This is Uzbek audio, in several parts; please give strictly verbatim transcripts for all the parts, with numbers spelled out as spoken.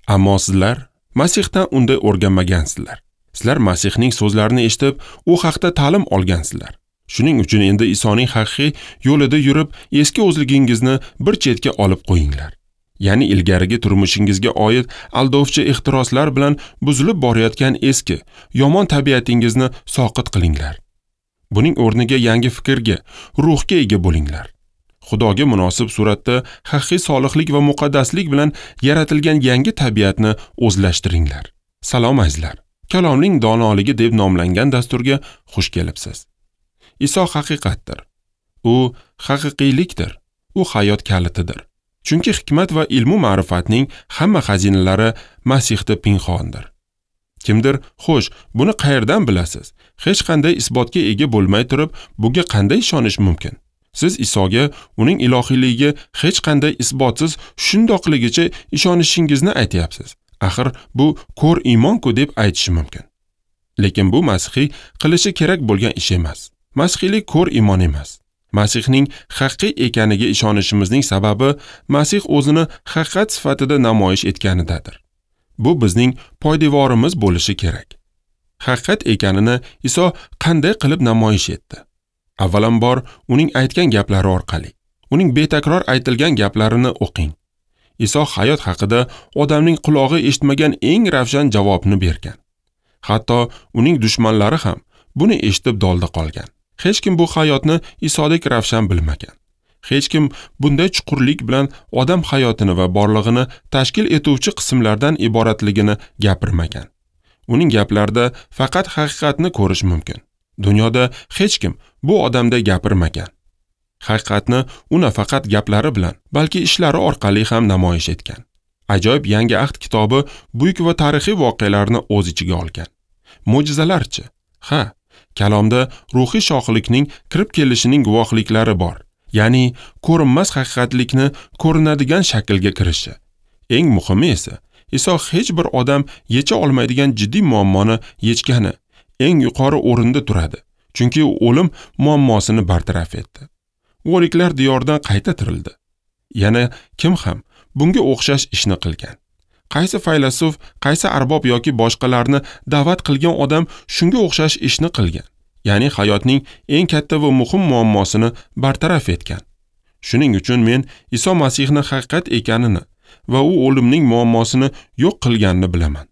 Ammo sizlar Masihdan unday o'rganmagansizlar. Sizlar Masihning so'zlarini eshitib, u haqda ta'lim olgansizlar. Shuning uchun endi Isoning haqiqiy yo'lida yurib, eski o'zligingizni bir chetga olib qo'yinglar. Ya'ni ilgarigi turmushingizga oid aldovchi ehtiroslar bilan buzilib borayotgan eski, yomon tabiatingizni soqit qilinglar. Buning o'rniga yangi fikrga, ruhga ega bo'linglar. Xudoga munosib suratda haqiqiy solihlik va muqaddaslik bilan yaratilgan yangi tabiatni o'zlashtiringlar. Salom azizlar. Kalomning donoligi deb nomlangan dasturga xush kelibsiz. Iso haqiqatdir. U haqiqiylikdir. U hayot kalitidir. Chunki hikmat va ilmu ma'rifatning hamma xazinalari Masihda pinhondir. Kimdir, xo'sh, buni qayerdan bilasiz? Hech qanday isbotga ega bo'lmay turib, bunga qanday ishonish mumkin? Siz Isoga, uning ilohiyligiga hech qanday isbotsiz shundoqligicha ishonishingizni aytyapsiz. Axir bu ko'r iymon-ku deb aytishi mumkin. Lekin bu masihiy qilishi kerak bo'lgan ish emas. Masihiylik ko'r iymon emas. Masihning haqiqiy ekaniga ishonishimizning sababi Masih o'zini haqiqat sifatida namoyish etganidadir. Bu bizning poydevorimiz bo'lishi kerak. Haqiqat ekanini Iso qanday qilib namoyish etdi? Avvalambor uning aytgan gaplari orqali. Uning betakror aytilgan gaplarini o'qing. Iso hayot haqida odamning qulog'i eshitmagan eng ravshan javobni bergan. Hatto uning dushmanlari ham buni eshitib dolda qolgan. Hech kim bu hayotni Isodek ravshan bilmagan. Hech kim bunday chuqurlik bilan odam hayotini va borlig'ini tashkil etuvchi qismlardan iboratligini gapirmagan. Uning gaplarida faqat haqiqatni ko'rish mumkin. Dunyoda hech kim bu odamday gapirmagan. Haqiqatni u nafaqat gaplari bilan, balki ishlari orqali ham namoyish etgan. Ajoyib Yangi Ahd kitobi buyuk va tarixiy voqealarni o'z ichiga olgan. Mo'jizalarchi? Ha, kalomda ruhiy shohlikning kirib kelishining guvohliklari bor. Ya'ni ko'rinmas haqiqatlikni ko'rinadigan shaklga kirishi. Eng muhimi esa, Iso hech bir odam yecha olmaydigan jiddiy muammoni yechgani eng yuqori o'rinda turadi. Chunki u o'lim muammosini bartaraf etdi. O'liklar diyoridan qayta tirildi. Yana kim ham bunga o'xshash ishni qilgan? Qaysi faylasuf, qaysi arbob yoki boshqalarni da'vat qilgan odam shunga o'xshash ishni qilgan? Ya'ni hayotning eng katta va muhim muammosini bartaraf etgan. Shuning uchun men Iso Masihni haqiqat ekanini va u o'limning muammosini yo'q qilganini bilaman.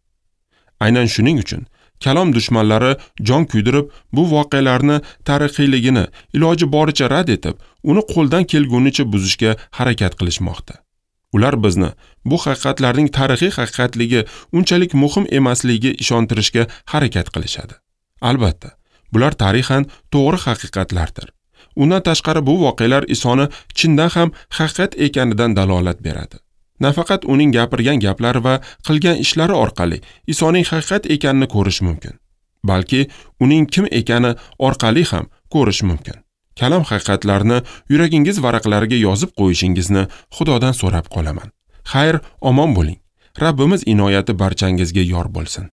Aynan shuning uchun kalom dushmanlari jon kuydirib, bu voqealarni tarixiyligini iloji boricha rad etib, uni qo'ldan kelgunicha buzishga harakat qilishmoqda. Ular bizni bu haqiqatlarning tarixiy haqiqatligi unchalik muhim emasligiga ishontirishga harakat qilishadi. Albatta, bular tarixan to'g'ri haqiqatlardir. Undan tashqari bu voqealar Isoni chindan ham haqiqat ekanidan dalolat beradi. Nafaqat uning gapirgan gaplari va qilgan ishlari orqali Isoning haqiqat ekanini ko'rish mumkin, balki uning kim ekani orqali ham ko'rish mumkin. Kalom haqiqatlarini yuragingiz varaqlariga yozib qo'yishingizni Xudodan so'rab qolaman. Xayr, omon bo'ling. Rabbimiz inoyati barchangizga yor bo'lsin.